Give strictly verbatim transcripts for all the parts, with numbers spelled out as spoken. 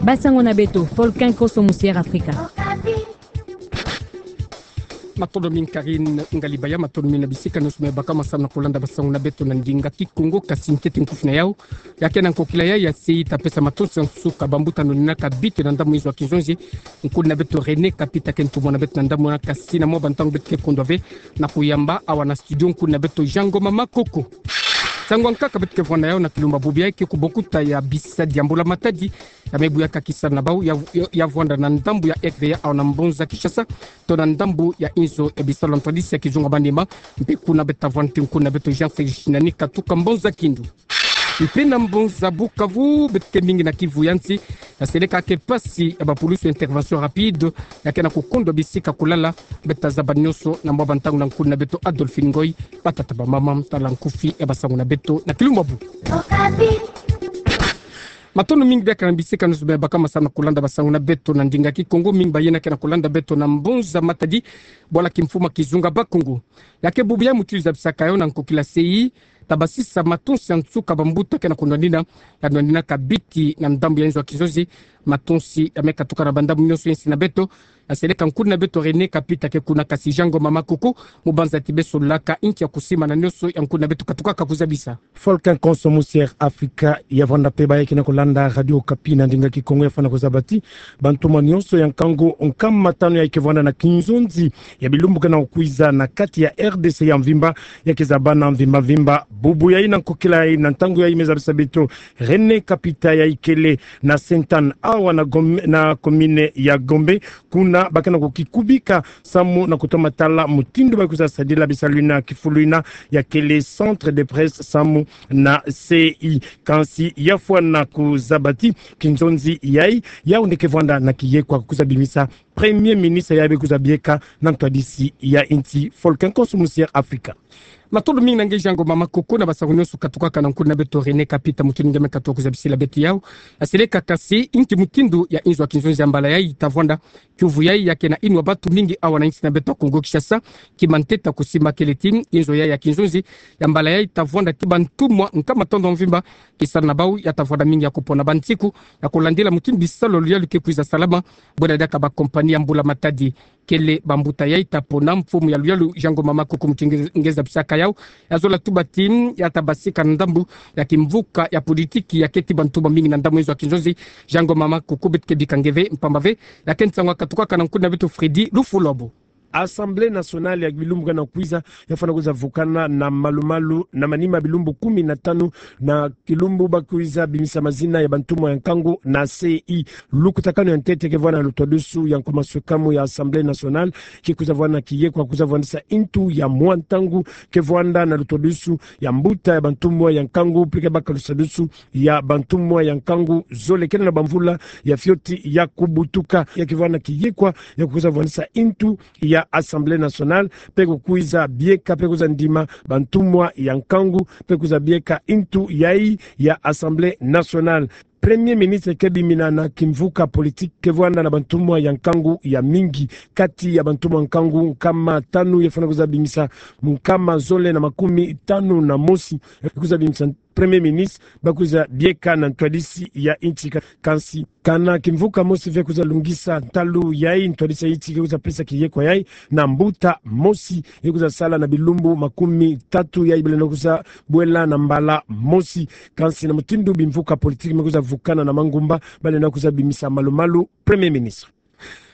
Basango na beto, Volcan Koso Musier Afrika. Matondo mingi Karine Ngalibaya, matondo mingi na bisika nyonso me baka masamu na kolanda basango na beto na ndinga Kikongo. Kasi ntete nkufi na yau, ya ke na nkokila yai ya C I I ta pesa matonsi ya nsuka bambuta nonina ka biti na ndambu inzo ya kinzonzi, nkuna beto René Kapita ke ntumwa na beto na ndambu na kasi na mwa bantangu beto ke kundwa ve na kuyamba awa na studio nkuna beto Jean Ngoma Makoko. Nsangu ya nkaka beto ke vwanda yau na kilumbu bubu yai ke kubokuta ya bisadi ya mbula matadi ya me buyaka kisala na bau ya, ya, ya vwanda na ndambu ya R V A awa na mbonza Kinshasa, to na ndambu ya inzo ya bisalu ya ntwadisi ya kizunga manima. Mpe kuna beto ta vwanda ti nkuna beto Jean Félix Shinani katuka mbonza Kindu. Mpe na mbonza Bukavu beto ke mingi na kivu ya nsi, ya seleka ke pasi ya bapulusu intervention rapide ya ke na kukundwa bisika kulala. Beto ta zaba nyonso na mwa bantangu na nkuna beto Adolphine Ngoy. Batata bamama, tala nkufi ya basango na beto na kilumbu bubu. Matondo mingi biakaka na bisika nyonso me baka masamu na kolanda basango na beto na ndinga Kikongo, mingi bayina ke na kolanda beto na mbonza Matadi, bwala kimfumu ya kizunga Bakongo. Ya ke bubu yai mutindu zabisaka yau na nkokila C I I ta basisa matonsi ya nsuka bambuta ke na kunwanina, ya nwanina ka biti na ndambu ya inzo ya kinzonzi. Matonsi ya me katuka na bandambu nyonso ya nsi na beto. Ya seleka nkuna beto René Kapita ke kuna, kasi Jean Ngoma Makoko, mubanza ti besololaka inki ya kusimana nyonso ya nkuna beto katukaka kuzabisa. Volcan Koso Musier Afrika, ya vwanda mpe baye ke na kolanda Radio Okapi na ndinga Kikongo, ya fwana kuzaba ti bantumwa nyonso ya nkangu nkama tanu yai ke vwanda na kinzonzi ya bilumbu ke na kukwiza na kati ya R D C ya mvimba, ya ke zabana mvimba mvimba. Bubu yai na nkokila yai na ntangu yai me zabisa beto René Kapita, yai kele na Sainte-Anne awa na Gom-, na commune ya Gombe. Kuna ba ke na kukikubika samu na kutoma tala mutindu ba kwiza sadila bisalu yina kifulu yina, ya kele centre de presse samu na C I I. Kansi ya fwana kuzaba ti kinzonzi yai, yau nde ke vwanda na kiyekwa kwiza bimisa Premier ministre yai be kwiza bieka na ntwadisi ya insi. Volcan Koso Musier Afrika. Matondo mingi na nge Jean Ngoma Makoko na basango nyonso katukaka na nkuna beto René Kapita, mutindu nge me katuka kuzabisila beto yau. Ya seleka kasi inki mutindu ya inzo ya kinzonzi ya mbala yai ta vwanda, kiuvu yai ya ke na inwa bantu mingi awa na insi na beto ya Kongo Kinshasa. Ki manteta kusimba kele ti inzo yai ya kinzonzi ya mbala yai ta vwanda ti bantumwa nkama tanu ya mvimba, kisala na bau ya ta vwanda mingi ya kupona bansiku ya kulandila mutindu bisalu ya luyalu ke kwiza salama, bwela diaka ba compagnie ya mbula matadi. Kele bambuta yai ta pona? Mfumu ya luyalu Jean Ngoma Makoko, mutindu nge zabisaka yau, ya zola tuba ti ya ta basika na ndambu ya kimvuka ya politiki ya keti bantumwa mingi na ndambu inzo ya kinzonzi. Jean Ngoma Makoko, beto ke bika nge ve mpamba ve ya ke nsangu ya katukaka na nkuna beto Freddy Lufulabo. Assemblée nationale ya bilumbu ke na kwiza ya fwana kwiza vukana na malumalu na manima bilumbu kumi na tanu na kilumbu ba kwiza bimisa mazina ya bantumwa ya nkangu na C I I. Lukutakanu ya ntete ke vwanda na lutwadusu ya nkuma swekamu ya Assemblée nationale, ke kwiza vwanda na kiyekwa kwiza vwandisa intu ya mwa ntangu, ke vwanda na lutwadusu ya mbuta ya bantumwa ya nkangu, mpe ke baka lutwadusu ya bantumwa ya nkangu zole kele na bamvula ya fioti ya kubutuka. Ya ke vwanda na kiyekwa ya kwiza vwandisa intu ya Assemblée nationale, mpe kukwiza bieka mpe kwiza ndima bantumwa ya nkangu, mpe kwiza bieka intu yai ya Assemblée nationale. Premier ministre ke bimina na kimvuka politique ke vwanda na bantumwa ya nkangu ya mingi. Kati ya bantumwa nkangu nkama tanu ya fwana kwiza bimisa nkama zole na makumi tanu na mosi kwiza bimisa Premier ministre ba kwiza bieka na ntwadisi ya insi. Ka-, kansi kana kimvuka mosi ve kwiza lungisa ntalu yai, ntwadisi ya insi ke kwiza pesa kiyekwa yai na mbuta mosi ye kwiza sala na bilumbu makumi tatu yai ba lenda kwiza bwela na mbala mosi. Kansi na mutindu bimvuka politique me kwiza vukana na mangumba, ba lenda kwiza bimisa malumalu Premier ministre.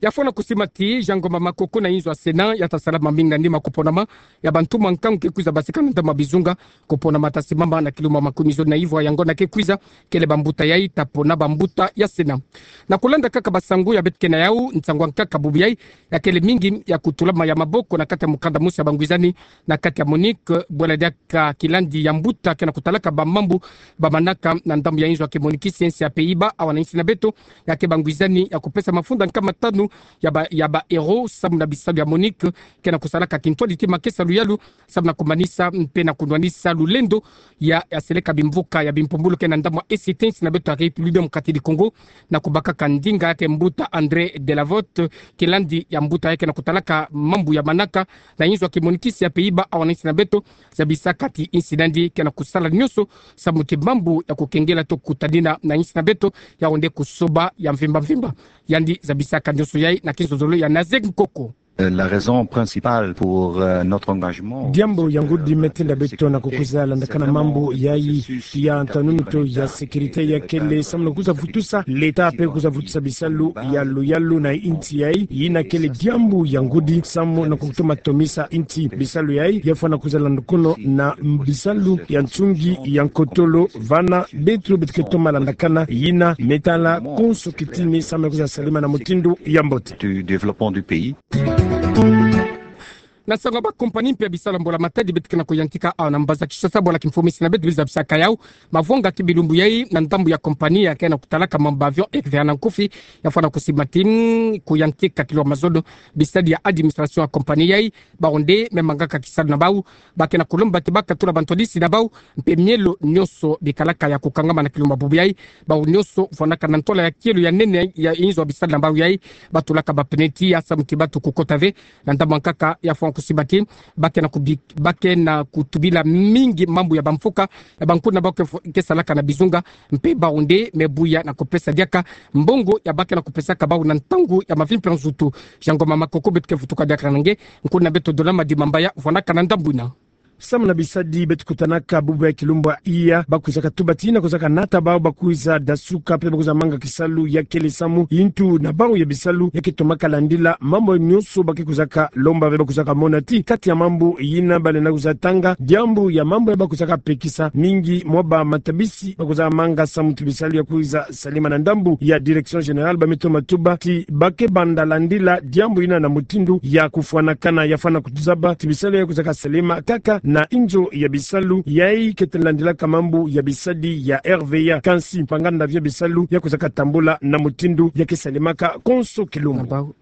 Ya fwana kusimba ti Jean Ngoma Makoko, na inzo ya Sénat ya ta sala mamingi na nima kuponama ya bantumwa nkangu ke kwiza basika na ntama bizunga. Kuponama ta simama na kilumbu makumi zole na ivwa, yango na ke kwiza kele bambuta yai ta pona bambuta ya Sénat. Na kulanda kaka basangu ya beto ke na yau, nsangu ya nkaka bubu yai ya kele mingi ya kutulama ya maboko na kati ya mukanda mosi ya bangwizani na kati ya MONUC, bwela diaka kilandi ya mbuta ke na kutalaka bamambu ba manaka na ndambu ya inzo ya ke MONUC, siensi ya Pays-Bas, awa na insi na beto, ya ke bangwizani ya kupesa mafunda nkama tanu ya ba, ya ba héros samu na bisalu ya MONUC, ke na kusalaka kintwadi ti makesa luyalu samu na kumanisa mpe na kunwanisa lulendo ya, ya seleka bimvuka ya bimpumbulu ke na ndambu ya Est, insi na beto ya République Démocratique du Congo, na kubakaka ndinga yake mbuta André Delavote, kilandi ya mbuta yake na kutalaka mambu ya manaka na inzo ya ki-MONUCiste ya Pays-Bas, awa na insi na beto, zabisaka ti insi nandi ke na kusala nyonso samu ti mambu ya kukengela to kutadina na insi na beto, ya onde kusoba ya mvimba mvimba. Yandi zabisaka nyonso yayi na kizololo ya Nazegue Nkoko. Euh, la raison principale pour, euh, notre engagement, diambu ya ngudi me tenda beto na kukwiza landakana mambu yayi ya ntanunuto ya sécurité ya kele samu na kwiza vutusa l'État mpe kwiza vutusa bisalu ya luyalu na insi yayi, yina kele diambu ya ngudi samu na kutoma tomisa insi. Bisalu yayi ya fwana kwiza landukono na bisalu ya nsungi ya nkotolo, vana beto beto ke toma landakana yina me tala konso kitini samu na kwiza salama na mutindu ya mbote. Du développement du pays. Na nsangu ya ba compagnie mpe ya bisalu ya mbola matadi beto ke na kuyantika awa na mbanza Kinshasa, bwala kimfumu insi na beto biza bisaka yawu. Mavwanga ki bilumbu yayi na ndambu ya compagnie ya ke na kutalaka mambu ba avion Air Ghana Nkufi, ya fwana kusiba ti kuyantika kilo mazono bisadi ya administration ya compagnie yayi, bawu nde me mangaka kisalu na bawu, ba ke na kulomba ti ba katula bantwadisi na bawu, mpe mielo nyonso bikalaka ya kukangama na kilumbu bubu yayi, bawu nyonso fwanaka na ntwala ya kielo ya nene ya inzo ya bisadi na bawu yayi, batulaka ba pneu ti ya samu ti bato kukota ve. Na ndambu ya nkaka ya fwana kusiba ti ba ke na kubi-, ba ke na kutubila mingi mambu ya bamfuka ya bankuna na bawu ke fu-, ke salaka na bizunga, mpe bawu nde me buya na kupesa diaka mbongo ya ba ke na kupesaka bawu na ntangu ya mavimpi ya nzutu. Jean Ngoma Makoko beto ke vutuka diaka na nge, nkuna beto Dola Madimambaya fwanaka na ndambu yina. Samu na bisadi beto kutanaka bubu ya kilumbu iya, ba kwizaka tuba ti na kwizaka nata bawu ba kwiza dasuka mpe ba kwiza manga kisalu ya kele samu, yintu na bawu ya bisalu ya ke tomaka landila mambu nyonso ba ke kwizaka lomba ve. Ba kwizaka mona ti kati ya mambu yina ba lenda kwiza tanga diambu ya mambu ya ba kwizaka pekisa mingi mwa ba matabisi ba kwiza manga samu ti bisalu ya kwiza salama na ndambu ya Direction Générale, ba me toma tuba ti ba ke banda landila diambu yina na mutindu ya kufwanakana. Ya fwana kutuzaba ti bisalu ya kwizaka salama kaka na inzo ya bisalu yayi ke tena landilaka mambu ya bisadi ya R V A, kansi mpanganda via bisalu ya kwizaka tambula na mutindu ya ke salamaka konso kilumbu.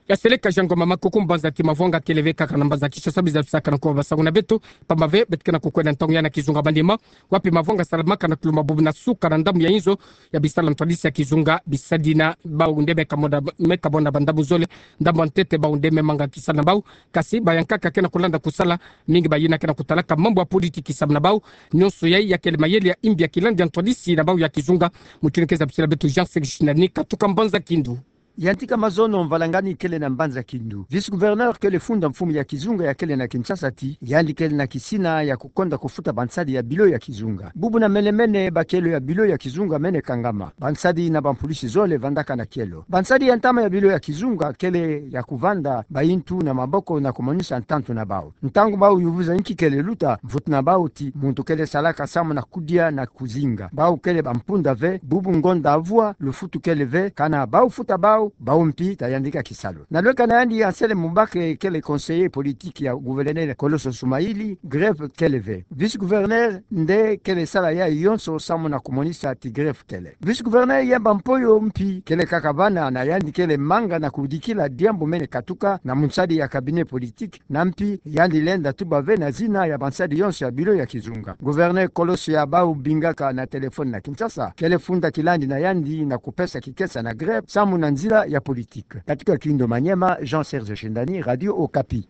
Ya seleka Jean Ngoma Makoko, mbanza ti mavwanga kele ve kaka na mbanza Kinshasa, biza bisaka na kuwa basangu na beto, pamba ve beto ke na kukwenda ntangu ya na kizunga bandima, wapi mavwanga salamaka na kilumbu bubu na suka na ndambu ya inzo ya bisalu ya ntwadisi ya kizunga bisadi na bawu nde me kamona, me kamona bandambu zole. Ndambu ya ntete bawu nde me manga kisalu na bawu, kasi bayankaka ke na kulanda kusala, mingi bayina ke na kutalaka mambu ya politiki samu na bawu. Nyonso yayi ya kele mayele ya imbi ya kilandi ya ntwadisi na bawu ya kizunga. Mutindu ke zabisila beto Jean Sextus Nani katuka mbanza Kindu. Yantika mazono mvalangani kele na mbanza Kindu. Vice-gouverneur kele funda mfumu ya kizunga ya kele na Kinshasa ti yandi kele na kisina ya kukonda kufuta bansadi ya bilo ya kizunga. Bubu na mene-mene bakielo ya bilo ya kizunga mene kangama. Bansadi na bampulisi zole vandaka na kielo. Bansadi ya ntama ya bilo ya kizunga kele ya kuvanda bayintu na maboko na kumonisa ntantu na bawu. Ntangu bawu yuvuza inki kele luta, mvutu na bawu ti muntu kele salaka samu na kudia na kuzinga. Bawu kele bampunda ve, bubu ngonda avwa, lufutu kele ve, kana bawu futa bawu, bawu mpi ta yandika kisalu. Na lweka na yandi Anselme Mubake kele conseiller politique ya gouverneur Colosso Soumaili, grève kele ve. Vice-gouverneur nde kele sala yayi yonso samu na kumonisa ti grève kele. Vice-gouverneur Yemba Mpoyo mpi kele kaka vana na yandi kele manga na kudikila diambu mene katuka na munsadi ya cabinet politique, na mpi yandi lenda tuba ve na zina ya bansadi yonso ya bilo ya kizunga. Gouverneur Colosso ya bawu bingaka na téléphone na Kinshasa kele funda kilandi na yandi na kupesa kikesa na grève samu na nzila ya politique. Katuka Kindu Maniema, Jean Serge Shindani, Radio Okapi.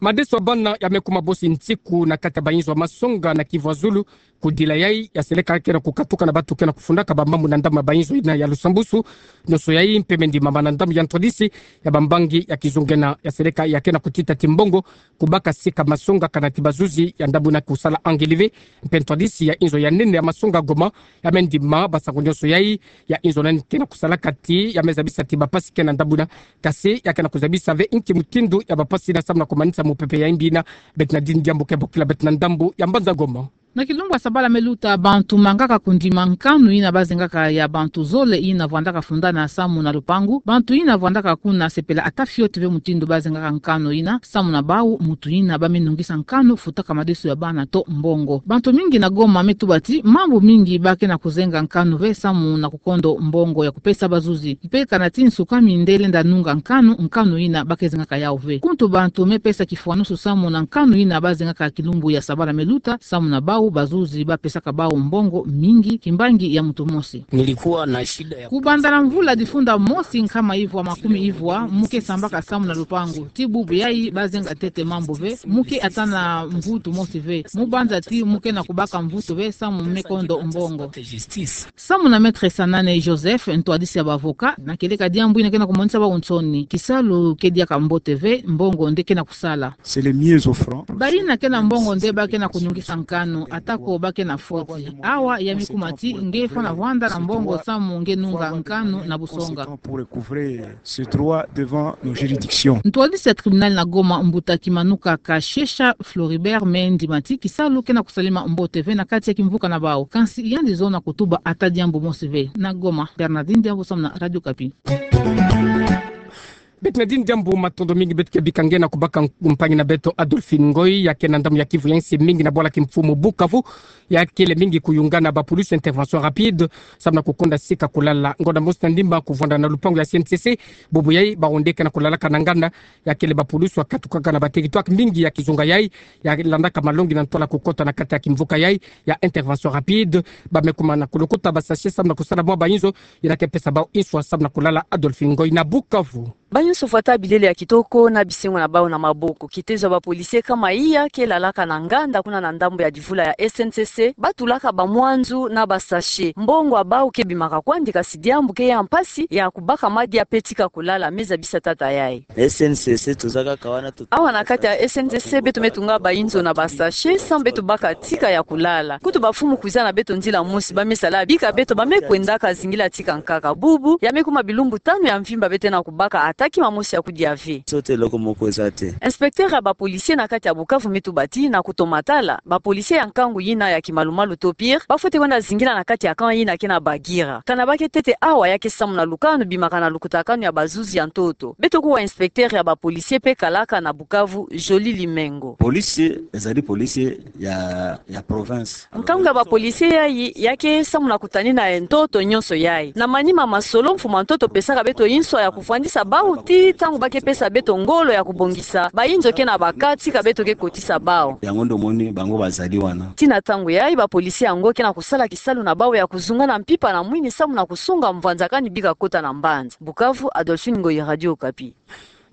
Madeso ya bana ya me kuma bosi nsiku na kati ya bayinzo ya masonga na Kivu ya Zulu. Kudila yayi, ya seleka ke na kukatuka na bato ke na kufundaka bamambu na ndambu ya bayinzo yina ya lusambusu. Nyonso yayi mpe me ndimama na ndambu ya ntwadisi ya bambangi ya kizunga yina. Ya seleka ya ke na kutita ti mbongo kubaka sika masonga kana ti bazuzi ya ndambu yina kusala angeli ve. Mpe ntwadisi ya inzo ya nene ya masonga Goma ya me ndima basangu nyonso yayi. Ya inzo nani ke na kusalaka ti ya me zabisa ti bapasi ke na ndambu yina, kasi ya ke na kuzabisa ve inki mutindu ya bapasi yina samu na kumanisa mupepe ya imbi yina. Beto na dini diambu ke bokila beto na ndambu ya mbanza Goma. Na kilumbu ya sabala me luta, bantu mangaka kundima nkanu yina bazengaka ya bantu zole yina vwandaka fundana samu na lupangu. Bantu yina vwandaka kuna sepela ata fioti ve mutindu bazengaka nkanu yina, samu na bau mutu yina ba me nungisa nkanu futaka madesu ya bana to mbongo. Bantu mingi na Goma me tuba ti mambu mingi ba ke na kuzenga nkanu ve samu na kukondo mbongo ya kupesa bazuzi. Mpe kana ti nsuka mindele nda nunga nkanu, nkanu yina ba ke zengaka yau ve. Kuntu bantu me pesa kifwanusu samu na nkanu yina bazengaka kilumbu ya sabala me luta, samu na bau bazuzi ba pesaka bau mbongo mingi kimbangi ya mutu mosi. Nilikuwa na shida ya kubanda na mvula difunda mosi nkama ivwa makumi ivwa, mu ke sambaka samu na lupangu. Ti bubu yayi bazenga ntete mambu ve, mu ke ata na mvutu mosi ve. Mu banza ti mu ke na kubaka mvutu ve samu me kondo mbongo. Samu na Maître Sanane Joseph, ntwadisi ya ba avocat, na kieleka diambu yina ke na kumonisa bau nsoni. Kisalu ke diaka mbote ve, mbongo nde ke na kusala. C'est les mieux offrants. Bayina ke na mbongo nde ba ke na kunungisa nkanu, ata ko ba ke na foti. Awa ya me kuma ti nge fwana vwanda na mbongo samu nge nunga nkanu na busonga. Pour recouvrer ce droit devant nos juridictions. Ntwadisi ya tribunal na Goma, mbuta Kimanuka Kashesha Floribert, me ndima ti kisalu ke na kusalema mbote ve na kati ya kimvuka na bau. Kansi yandi zola kutuba ata diambu mosi ve. Na Goma, Bernardine Diambu samu na Radio Okapi. Beto na dini diambu, matondo mingi. Beto ke bika nge na kubaka mpangi na beto Adolphine Ngoy, ya ke na ndambu ya Kivu ya nsi mingi na bwala kimfumu Bukavu, ya kele mingi kuyungana ba pulusi intervention rapide, samu na kukonda sika kulala. Ngonda mosi na ndimba kuvwanda na lupangu ya C N C C, bubu yayi bawu nde ke na kulalaka na nganda, ya kele ba pulusi wakatukaka na ba territoire mingi ya kizunga yayi, ya landaka malongi na ntwala kukota na kati ya kimvuka yayi ya intervention rapide. Ba me kuma na kulukuta ba sachet samu na kusala mwa ba inzo yina ke pesa bau nswa samu na kulala. Adolphine Ngoy na Bukavu. Ba inzo fwata bilele ya kitoko na bisengo na bau na maboko. Kitezo ya ba policiers kama iya ke lalaka na nganda kuna na ndambu ya divula ya S N C C, ba tulaka ba mwanzu na ba sachet. Mbongo ya bau ke bimaka kwandi, kasi diambu ke ya mpasi ya kubaka madia pe tika kulala. Me zabisa tata yayi. S N C C tozalaka wana tu- Awa na kati ya S N C C beto me tunga ba inzo na ba sachet samu beto baka tika ya kulala. Kutu ba mfumu kwiza na beto nzila mosi, ba me sala bika beto ba me kwendaka zingila tika nkaka. Bubu ya me kuma bilumbu tanu ya mvimba beto ke na kubaka ata kima mosi ya kudia ve. Sote eloko moko eza te. Inspecteur ya ba policiers na kati ya Bukavu me tuba ti na kutomatala, ba policiers ya nkangu yina ya kimalumalu to pire, ba fwete kwenda zingila na kati ya camp yina ke na Bagira. Kana ba ke ntete awa, ya ke samu na lukanu bimaka na lukutakanu ya bazuzi ya ntoto. Beto kuwa inspecteur ya ba policiers pe kalaka na Bukavu, Joly Limengo. Police ezali police ya, ya province. Nkangu ya ba policiers yayi, ya ke samu na kutanina ya ntoto nyonso yayi. Na manima masolo, mfumu ya ntoto pesaka beto nswa ya kuvwandisa bau ti ntangu ba ke pesa beto ngolo ya kubongisa ba inzo ke na baka tika beto ke kotisa bau. Yango nde omoni bango bazali wana. Ti na ntangu yayi, ba policiers yango ke na kusala kisalu na bau ya kuzunga na mpimpa na mwini samu na kusunga mvwanzakani bika kota na mbanza. Bukavu, Adolphine Ngoyi, Radio Okapi.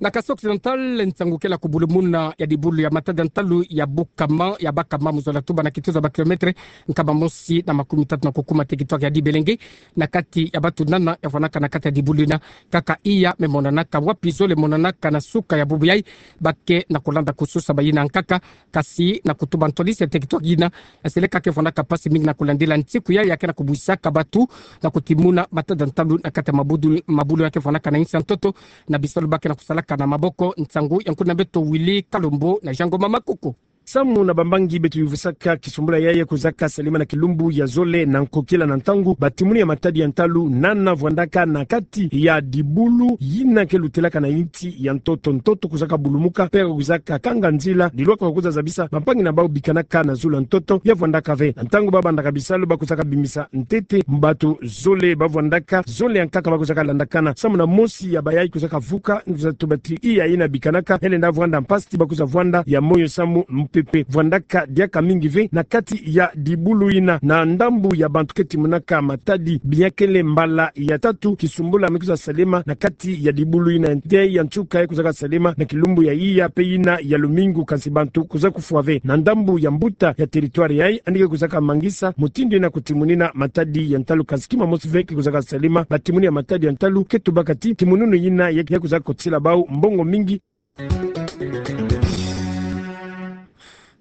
Na Kasaï Occidental, nsangu kele ya kubulumuna ya dibulu ya matadi ya ntalu ya Bukama, ya bakama mu zola tuba na kituza ba kilomètre nkama mosi na makumi tatu na kukuma territoire ya Dibelenge, na kati ya batunana ya vwanaka na kati ya dibulu yina. Kaka iya me monanaka, wapi zole monanaka na suka ya bubu yayi, ba ke na kulanda kususa bayina nkaka, kasi na kutuba ntwadisi ya territoire yina, ya seleka ke vwanaka mpasi mingi na kulandila nsiku yayi ya ke na kubwisaka batu na kutimuna matadi ya ntalu na kati ya mabudu, mabulu ya ke vwanaka na insi ya ntoto, na bisalu ba ke na kusalaka na maboko. Nsangu ya nkuna beto Willy Kalombo na Jean Ngoma Makoko. Samu na bambangi beto yuvusaka, kisumbula yayi kwizaka salema na kilumbu ya zole na nkokila na ntangu batimuni ya matadi ya ntalu nana vwandaka na kati ya dibulu yina ke lutelaka na insi ya ntoto. Ntoto kwizaka bulumuka, pe kwizaka kanga nzila, dilwaka kwiza zabisa bampangi na bau bikanaka na zulu ya ntoto ya vwandaka ve. Na ntangu ba bandaka bisalu, ba kwizaka bimisa ntete batu zole ba vwandaka, zole ya nkaka ba kwizaka landakana. Samu na mosi ya bayayi kwizaka vuka, nza tubati iya yina bikanaka, elenda vwanda mpasi ti ba kwiza vwanda ya moyo samu mpepe. Vwandaka diaka mingi ve na kati ya dibulu yina. Na ndambu ya bantu ke timunaka matadi, bia kele mbala ya tatu kisumbula me kwiza salema na kati ya dibulu yina. Nte ya nsuka ya kwizaka salema na kilumbu ya iya pe yina ya lumingu, kansi bantu kwiza kufwa ve. Na ndambu ya mbuta ya territoire yayi, yandi ke kwizaka mangisa mutindu yina kutimunina matadi ya ntalu, kansi kima mosi ve ke kwizaka salema. Batimuni ya matadi ya ntalu ke tubaka ti timununu yina ya, ya kwizaka kotila bau mbongo mingi.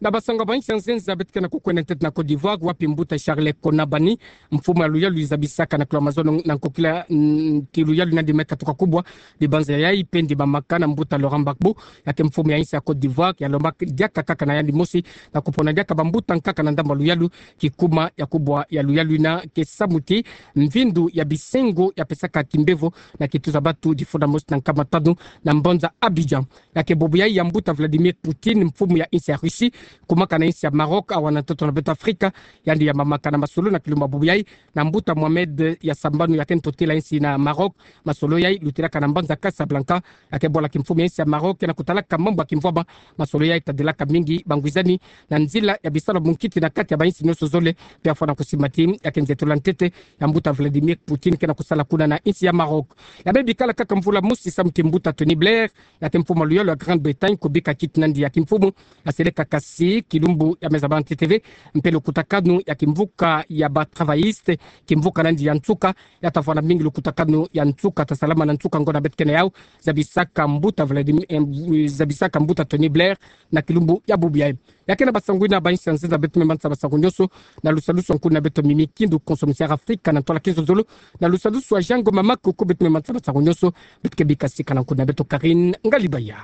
Na basango ba insi ya nzenza beto ke na kukwenda ntete na Côte d'Ivoire, wapi mbuta Charles Konabani, mfumu ya luyalu zabisaka na kilo ya mazono na nkokila, mm, ki luyalu nandi me katuka kubwa dibanza ya ipendi mamakana mbuta Laurent Gbagbo, ya ke mfumu ya insi ya Côte d'Ivoire, ya lomba diaka kaka na yandi mosi na kupona diaka bambuta nkaka na ndambu ya luyalu, kikuma ya kubwa ya luyalu ina ke samuti mvindu ya bisengo ya pesaka kimbevo na kituza batu difunda mosi na nkama tanu na mbanza Abidjan. Ya ke bubu yayi ya mbuta Vladimir Poutine, mfumu ya insi ya Russie, kumaka na insi ya Maroc, awa na ntoto na beto Afrika, yandi ya mamakana masolo na kilumbu ya bubu yayi na mbuta Mohamed ya Sambanu, ya ke ntotila insi na Maroc, masolo yayi lutilaka na mbanza Casablanca, ya ke bwala kimfumu ya insi ya Maroc, ya na kutalaka mambu ya kimvwama, masolo yayi tadilaka mingi bangwizani na nzila ya bisalu munkiti na kati ya bainsi nyonso zole, mpe afwana kusimbati, ya ke nzetula ntete ya mbuta Vladimir Poutine ke na kusala kuna na insi ya Maroc. Ya me bikala kaka mvula mosi samuti mbuta Tony Blair, ya ke mfumu ya luyalu ya Grande-Bretagne, kubika kiti nandi ya kimfumu, aseleka kasi kilumbu ya meza ba N T T V, mpe lukutakanu ya kimvuka ya ba travailliste, kimvuka nandi ya nsuka, ya tafwana mingi lukutakanu ya nsuka, tasalama na nsuka ngo na beto ke na yau, zabisaka mbuta Vladimir, eh, zabisaka mbuta Tony Blair, na kilumbu ya bubu yayi. Ya ke na basango ina ba insi ya nzenza beto me manisa basango nyonso, na lusalusu nkuna beto Mimi Kindu, konso misiara Afrika na ntwala kinzonzolo, na lusalusu wa Jango Mamaku, ko beto me manisa basango nyonso, beto ke bika sika na nkuna beto Karine Ngalibaya.